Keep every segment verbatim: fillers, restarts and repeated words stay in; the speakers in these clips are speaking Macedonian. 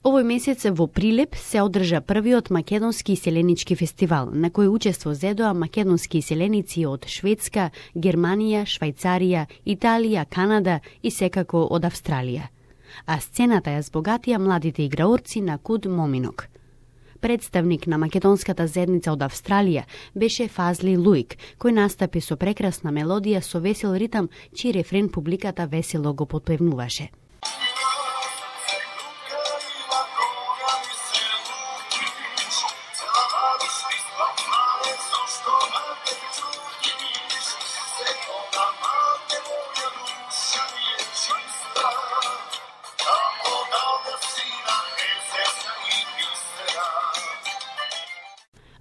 Овој месец во Прилеп се одржа првиот македонски иселенички фестивал, на кој учество зедоа македонски иселеници од Шведска, Германија, Швајцарија, Италија, Канада и секако од Австралија. А сцената ја збогатија младите играорци на Куд Моминок. Представник на македонската заедница од Австралија беше Фазли Луик, кој настапи со прекрасна мелодија со весел ритам, чиј рефрен публиката весело го потпевнуваше.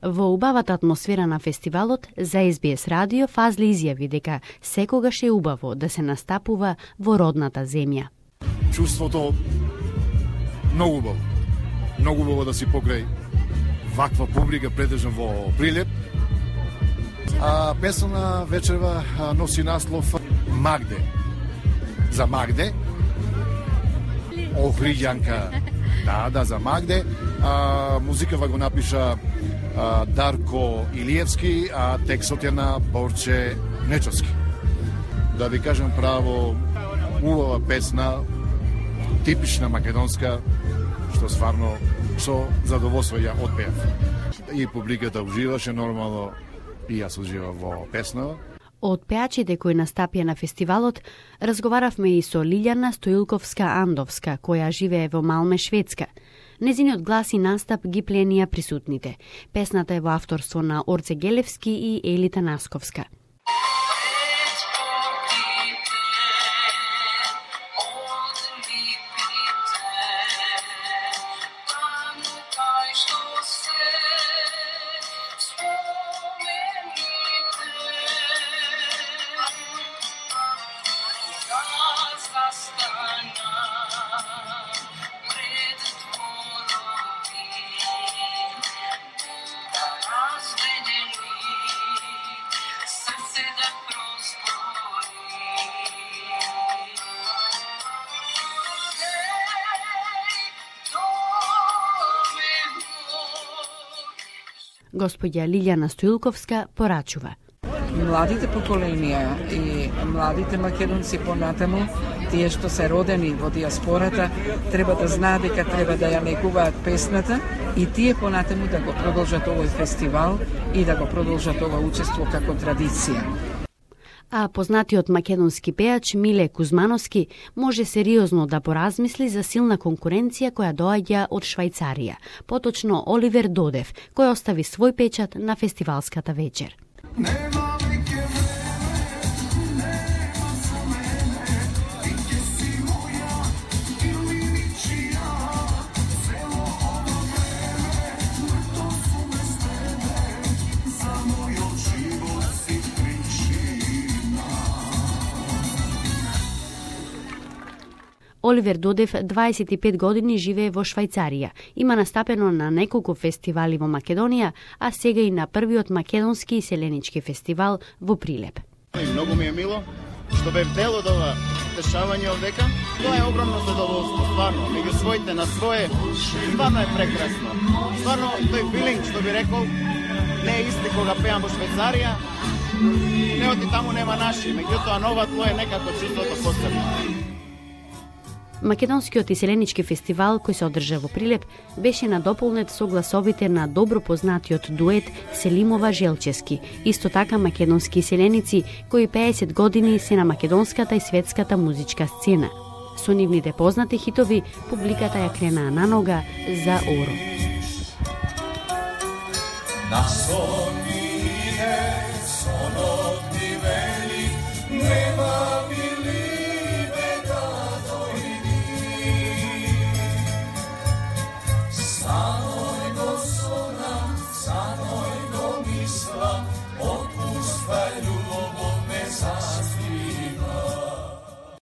Во убавата атмосфера на фестивалот, за Ес Би Ес радио Фазли изјави дека секогаш е убаво да се настапува во родната земја. Чувството многу убаво. Многу убаво да си покрај ваква публика предржан во Прилеп. А песна вечерва носи наслов Магде. За Магде. Охриѓанка. Да, да, за Магде. А, музикава го напиша а, Дарко Илиевски, а текстот е на Борче Нечовски. Да ви кажем право, убава песна, типична македонска, што стварно со задоволство ја отпеав. И публиката уживаше нормално, и јас уживав во песна. Од пеачите кои настапија на фестивалот, разговаравме и со Лилјана Стоилковска-Андовска, која живее во Малме, Шведска. Незиниот глас и настап ги пленија присутните. Песната е во авторство на Орце Гелевски и Елита Насковска. Господја Лилјана Стоилковска порачува. Младите поколенија и младите македонци понатаму, тие што се родени во диаспората, треба да знаат дека треба да ја негуваат песната и тие понатаму да го продолжат овој фестивал и да го продолжат ова учество како традиција. А познатиот македонски пеач Миле Кузмановски може сериозно да поразмисли за силна конкуренција која доаѓа од Швајцарија, поточно Оливер Додев, кој остави свој печат на фестивалската вечер. Оливер Додев дваесет и пет години живее во Швајцарија. Има настапено на неколку фестивали во Македонија, а сега и на првиот македонски иселенички фестивал во Прилеп. Многу ми е мило што бев дел од ова дешавање овдека. Тоа е огромно задоволство, стварно. Меѓу своите на свое, стварно е прекрасно. Стварно тој филинг што би рекол, не е исти кога пеам во Швајцарија. Не оти таму нема наши, меѓутоа нова тло е некако чувството посебно. Македонскиот иселенички фестивал кој се одржа во Прилеп беше надополнет со гласовите на добро познатиот дует Селимова Желчески, исто така македонски иселеници кои пеесет години се на македонската и светската музичка сцена. Со нивните познати хитови публиката ја кренаа на нога за Оро. Na sonine sonot dive